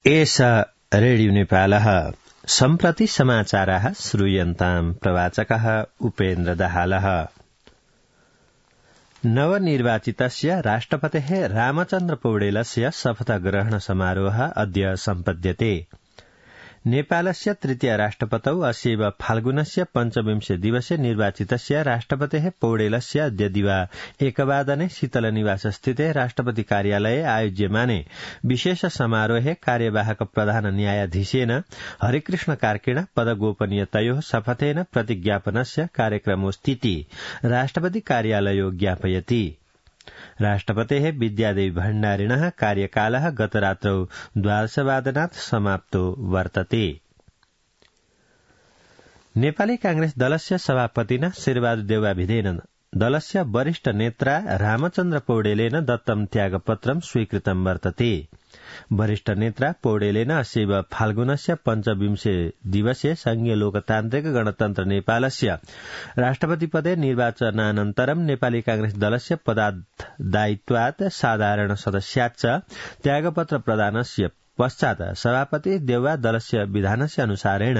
एषा रेडियो नेपालः सम्प्रति समाचाराः श्रूयन्ताम् प्रवाचकः उपेन्द्र दाहालः। नवनिर्वाचितस्य राष्ट्रपतेः रामचन्द्र पौडेलस्य शपथग्रहण समारोहः अद्य सम्पद्यते। नेपालस्य तृतीय राष्ट्रपतौ अस्यैव फाल्गुनस्य पञ्चविंशे दिवसे निर्वाचितस्य राष्ट्रपतेः पौडेलस्य अद्य दिवा 1:00 शीतलनिवासस्थिते राष्ट्रपति कार्यालये आयोज्यमाने विशेष समारोहे कार्यवाहक प्रधान न्यायाधीशेन हरिकृष्ण कार्किण पदगोपनीयतयोः शपथेन प्रतिज्ञापनस्य कार्यक्रमोऽस्तीति राष्ट्रपति कार्यालयो ज्ञापयति। राष्ट्रपतेः विद्यादेवी भण्डारिणः कार्यकालः गतरात्रौ 12:00 समाप्तो वर्तते। नेपाली कांग्रेस दलस्य सभापतिना शेरबहादुर देउवाभिधेन दलस्य वरिष्ठ नेता रामचन्द्र पौडेलेन दत्तं त्यागपत्रं स्वीकृतं वर्तते। वरिष्ठ नेता पौडेलेन अस्यैव फाल्गुनस्य पञ्चविंशे दिवसे संघीय लोकतान्त्रिक गणतन्त्र नेपालस्य राष्ट्रपतिपदे निर्वाचनानन्तरं नेपाली कांग्रेस दलस्य पदादायित्वात् साधारण सदस्याच्च त्यागपत्र प्रदानस्य पश्चात् सभापति देउवा दलस्य विधानस्य अनुसारेण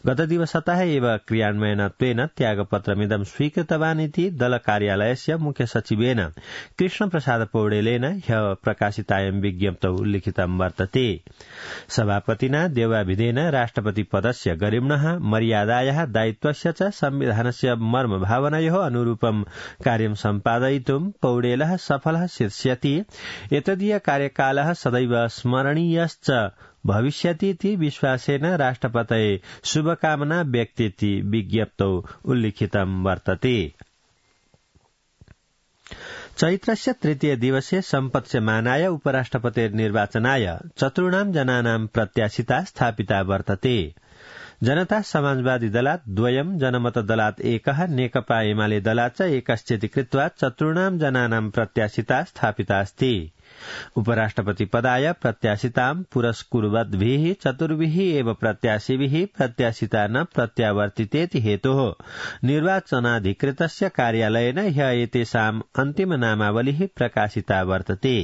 गतदिवसतः एव क्रियान्वयनत्वेन त्यागपत्रमिदं स्वीकृतवान् इति दल कार्यालयस्य मुख्य सचिवेन कृष्णप्रसाद पौडेलेन ह्यः प्रकाशितायां विज्ञप्तौ लिखितं वर्तते। सभापतिना देउवाभिधेन राष्ट्रपति पदस्य गरिम्णः मर्यादायाः दायित्वस्य च संविधानस्य मर्मभावनयोः अनुरूपं कार्यं सम्पादयितुं पौडेलः सफलः शीर्ष्यति। एतदीय कार्यकालः सदैव स्मरणीयश्च भविष्यतीति विश्वासेन राष्ट्रपतये शुभकामना व्यक्तीति विज्ञप्तौ उल्लिखितं वर्तते। चैत्रस्य तृतीय दिवसे सम्पत्स्यमानाय उपराष्ट्रपतिर्निर्वाचनाय चतुर्णां जनानां प्रत्याशिता स्थापिता वर्तते। जनता समाजवादी दलात् 2, जनमत दलात् 1, नेकपा एमाले दलात् च 1 कृत्वा चतुर्णां जनानां प्रत्याशिता स्थापितास्ति। उपराष्ट्रपति पदाय प्रत्याशितां पुरस्कुर्वद्भिः 4 एव प्रत्याशिभिः प्रत्याशिता न प्रत्यावर्तितेति हेतोः निर्वाचनाधिकृतस्य कार्यालयेन ह्यः एतेषाम् अन्तिम नामावलिः प्रकाशिता वर्तते।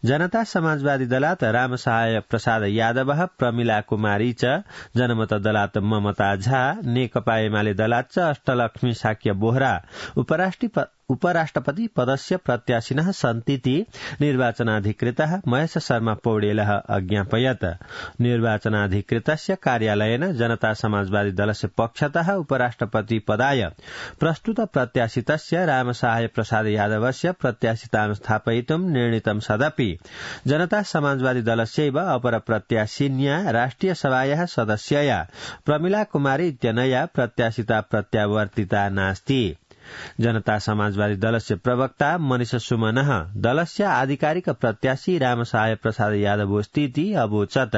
जनता समाजवादी दलात् रामसहाय प्रसाद यादवः, प्रमिला कुमारी च, जनमत दलात् ममता झा, नेकपा एमाले दलात् च अष्टलक्ष्मी साक्य बोहरा उपराष्ट्रपति पदस्य प्रत्याशिनः सन्तीति निर्वाचनाधिकृतः महेश शर्मा पौडेलः अज्ञापयत्। निर्वाचनाधिकृतस्य कार्यालयेन जनता समाजवादी दलस्य पक्षतः उपराष्ट्रपति पदाय प्रस्तुत प्रत्याशितस्य रामसहाय प्रसाद यादवस्य प्रत्याशितां स्थापयितुं निर्णीतं सदपि जनता समाजवादी दलस्यैव अपर प्रत्याशिन्या राष्ट्रिय सभायाः सदस्यया प्रमिला कुमारी इत्यनया प्रत्याशिता प्रत्यावर्तिता नास्ति। जनता समाजवादी दलस्य प्रवक्ता मनीष सुमनः दलस्य आधिकारिक प्रत्याशी रामसहाय प्रसाद यादवोऽस्तीति अवोचत्।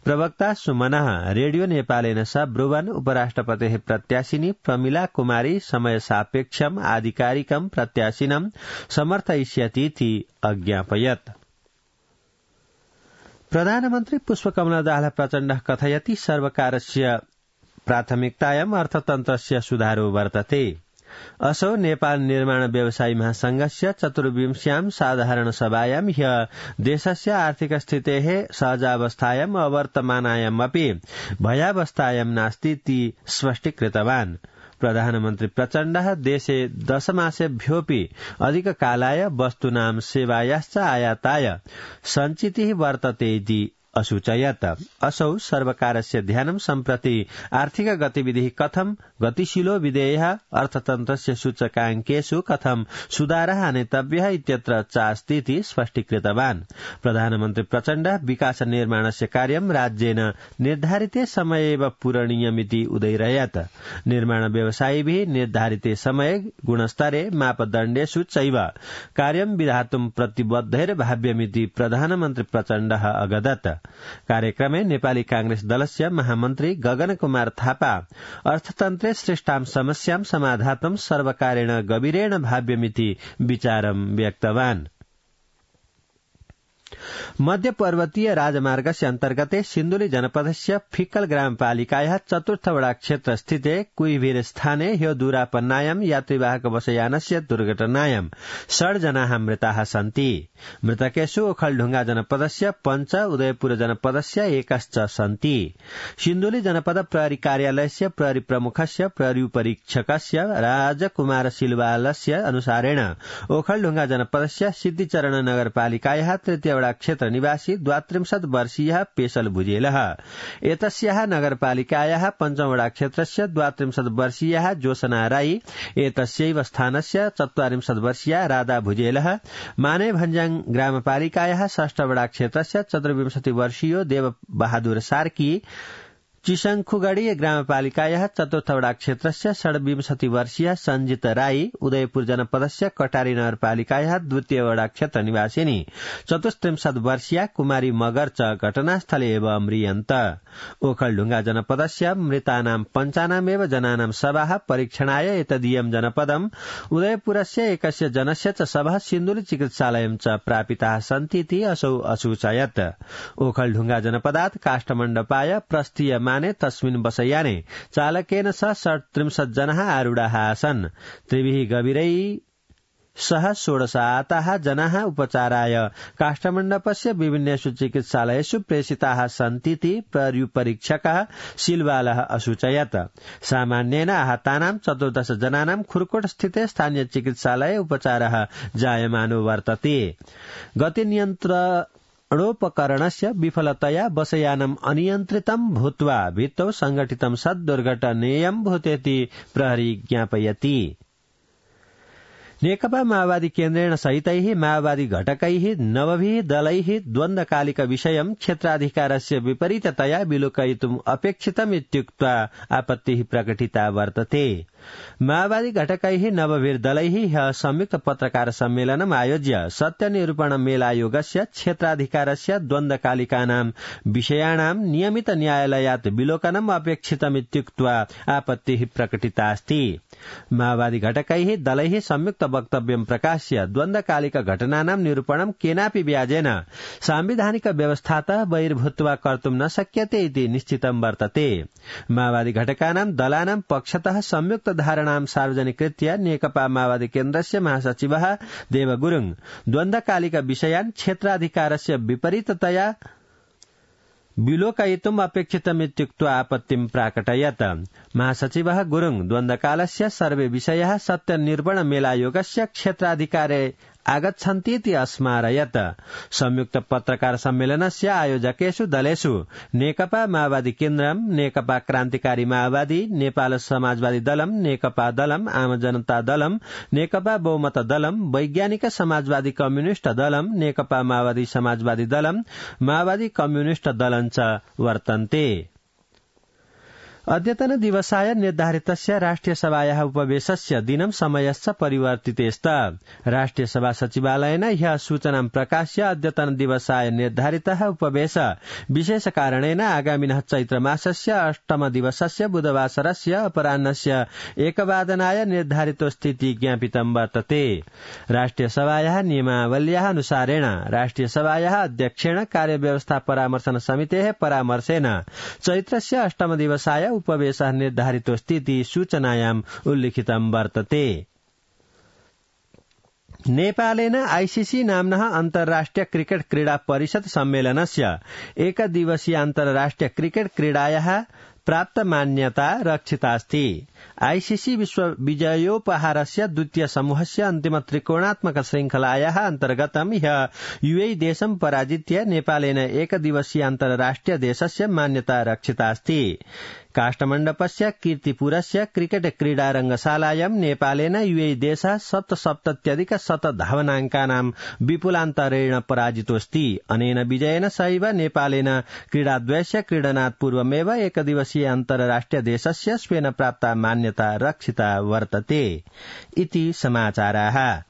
प्रवक्ता सुमनः रेडियो नेपालेन सह ब्रुवन् उपराष्ट्रपतेः प्रत्याशिनी प्रमिला कुमारी समय सापेक्षम् आधिकारिकं प्रत्याशिनं समर्थयिष्यतीति अज्ञापयत्। प्रधानमन्त्री पुष्पकमल दाहाल प्रचण्डः कथयति सर्वकारस्य प्राथमिकतायाम् अर्थतन्त्रस्य सुधारो वर्तते। असौ नेपाल निर्माण व्यवसायी महासंघस्य 24व्यां साधारण सभायां ह्यः देशस्य आर्थिक स्थितेः सहजावस्थायाम् अवर्तमानायामपि भयावस्थायां नास्तीति स्पष्टीकृतवान्। प्रधानमन्त्री प्रचण्डः देशे 10 मासेभ्योऽपि अधिककालाय वस्तूनां सेवायाश्च आयाताय सञ्चितिः वर्तते इति असूचयत्। असौ सर्वकारस्य ध्यानं सम्प्रति आर्थिक गतिविधिः कथं गतिशीलो विधेयः, अर्थतन्त्रस्य सूचकाङ्केषु कथं सुधारः आनेतव्यः इत्यत्र चास्तीति स्पष्टीकृतवान्। प्रधानमन्त्री प्रचण्डः विकास निर्माणस्य कार्यं राज्येन निर्धारिते समये एव पूरणीयमिति उदयरयत्। निर्माण व्यवसायिभिः निर्धारिते समये गुणस्तरे मापदण्डेषु चैव कार्यं विधातुं प्रतिबद्धैर्भाव्यमिति प्रधानमन्त्री प्रचण्डः अगदत्। कार्यक्रमे नेपाली कांग्रेस दलस्य महामन्त्री गगन कुमार थापा अर्थतन्त्रे सृष्टां समस्यां समाधातुं सर्वकारेण गभीरेण भाव्यमिति विचारं व्यक्तवान्। मध्य पर्वतीय राजमार्गस्य अन्तर्गते सिन्धुली जनपदस्य फिक्कल ग्रामपालिकायाः 4th वडा क्षेत्र स्थिते कुइभीर स्थाने ह्यो दूरापन्नायां यात्रीवाहक बसयानस्य दुर्घटनायां 6 जनाः मृताः सन्ति। मृतकेषु ओखलढुंगा जनपदस्य 5, उदयपुर जनपदस्य 1 सन्ति। सिन्धुली जनपद प्रहरी कार्यालयस्य प्रहरी प्रमुखस्य प्रहरी उपरीक्षकस्य राजकुमार सिलवालस्य अनुसारेण ओखलढुंगा जनपदस्य सिद्धिचरण नगरपालिकायाः 3 वडा क्षेत्र निवासी 32 वर्षीयः पेशल भुजेलः, एतस्याः नगरपालिकायाः 5 वडा क्षेत्रस्य 32 वर्षीयः जोसना राई, एतस्यैव स्थानस्य 44 वर्षीया राधा भुजेलः, माने भन्जाङ ग्रामपालिकायाः 6 वडा क्षेत्रस्य 24 वर्षीयो देव बहादुर सार्की, चिसंखुगढ़ी ग्रामपालिकायाः 4th वडा क्षेत्रस्य 26 वर्षीय संजित राई, उदयपुर जनपदस्य कटारी नगरपालिकायाः 2 वडा क्षेत्र निवासिनी 34 वर्षीय कुमारी मगर च घटनास्थले एव अम्रियन्त। ओखलढुंगा जनपदस्य मृतानां 95 जनानां शवाः परीक्षणाय एतदीयं जनपदम्, उदयपुरस्य एकस्य जनस्य च शवः सिन्धुली चिकित्सालयं च प्रापिताः सन्तीति असौ असूचयत्। ओखलढुंगा जनपदात् काष्ठमण्डपाय प्रस्थीय तस्मिन् बसयाने चालकेन सह 37 जनाः आरूढाः आसन्। त्रिभिः गभीरैः सह 16 आताः जनाः उपचाराय काष्ठमण्डपस्य विभिन्नेषु चिकित्सालयेषु प्रेषिताः सन्तीति प्रहरीपरीक्षकः सिलवालः असूचयत्। सामान्येन आहतानां 14 जनानां खुरकोट स्थिते स्थानीय चिकित्सालये उपचारः जायमानो वर्तते। गतिनियन्त्रणोपकरणस्य विफलतया बसयानम् अनियन्त्रितं भूत्वा भित्तौ संघटितं सद्दुर्घटनेयं भूतेति प्रहरी ज्ञापयति। नेकपा माओवादी केन्द्रेण सहितैः माओवादी घटकैः नवभिः दलैः द्वन्द्वकालिक विषयं क्षेत्राधिकारस्य विपरीततया विलोकयितुम् अपेक्षितम् इत्युक्त्वा आपत्तिः प्रकटिता वर्तते। माओवादी घटकैः नवभिर्दलैः ह्यः संयुक्त पत्रकार सम्मेलनम् आयोज्य सत्यनिरूपण मेलायोगस्य क्षेत्राधिकारस्य द्वन्द्वकालिकानां विषयाणां नियमित न्यायालयात् विलोकनम् अपेक्षितमित्युक्त्वा आपत्तिः प्रकटितास्ति। माओवादी घटकैः दलैः संयुक्त वक्तव्यं प्रकाश्य द्वन्द्वकालिक घटनानां निरूपणं केनापि व्याजेन सांविधानिक व्यवस्थातः बहिर्भूत्वा कर्तुं न शक्यते इति निश्चितं वर्तते। माओवादी घटकानां दलानां पक्षतः संयुक्त धारणां सार्वजनिकृत्य नेकपा माओवादी केन्द्रस्य महासचिवः देव गुरुङ द्वन्द्वकालिक विषयान् क्षेत्राधिकारस्य विपरीततया विलोकयितुम् अपेक्षितमित्युक्त्वा आपत्तिं प्राकटयत्। महासचिवः गुरुङ द्वन्द्वकालस्य सर्वे विषयाः सत्यनिरूपण मेलायोगस्य क्षेत्राधिकारे आगच्छन्तीति अस्मारयत्। संयुक्त पत्रकार सम्मेलनस्य आयोजकेषु दलेषु नेकपा माओवादी केन्द्रम्, नेकपा क्रान्तिकारी माओवादी, नेपाल समाजवादी दलम्, नेकपा दलम्, आम जनता दलम्, नेकपा बहुमत दलम्, वैज्ञानिक समाजवादी कम्युनिष्ट दलम्, नेकपा माओवादी समाजवादी दलम्, माओवादी कम्युनिष्ट दलम् च वर्तन्ते। अद्यतन दिवसाय निर्धारितस्य राष्ट्रिय सभायाः उपवेशस्य दिनं समयश्च परिवर्तिते स्त। राष्ट्रिय सभा सचिवालयेन ह्यः सूचनां प्रकाश्य अद्यतन दिवसाय निर्धारितः उपवेश विशेष कारणेन आगामिनः चैत्रमासस्य 8 दिवसस्य बुधवासरस्य अपराह्नस्य 1 वादनाय निर्धारितोस्तीति ज्ञापितं वर्तते। राष्ट्रिय सभायाः नियमावल्याः अनुसारेण राष्ट्रिय सभायाः अध्यक्षेण कार्यव्यवस्था परामर्शन समितेः परामर्शेन चैत्रस्य 8 दिवसाय उपवेशः निर्धारितोस्तीति सूचनायाम् उल्लिखितं वर्तते। नेपालेन आईसीसी नाम्नः अन्तर्राष्ट्रिय क्रिकेट क्रीडा परिषद सम्मेलनस्य एकदिवसीय अन्तर्राष्ट्रिय क्रिकेट क्रीडायाः प्राप्त मान्यता रक्षितास्ति। आईसीसी विश्व विजयोपहारस्य द्वितीय समूहस्य अन्तिम त्रिकोणात्मक श्रृंखलायाः अन्तर्गतं ह्यः यूएई देशं पराजित्य नेपालेन एकदिवसीय अन्तर्राष्ट्रिय देशस्य मान्यता रक्षितास्ति। काष्ठमण्डपस्य कीर्तिपुरस्य क्रिकेट क्रीडा रंगशालायां नेपालेन यूएई देशः 77,100 धावनाङ्कानां विपुलान्तरेण पराजितोऽस्ति। अनेन विजयेन सहैव नेपालेन क्रीडाद्वयस्य क्रीडनात् पूर्वमेव एकदिवसीय अन्तर्राष्ट्रिय देशस्य स्वेन प्राप्ता मान्यता रक्षिता वर्तते इति समाचाराः।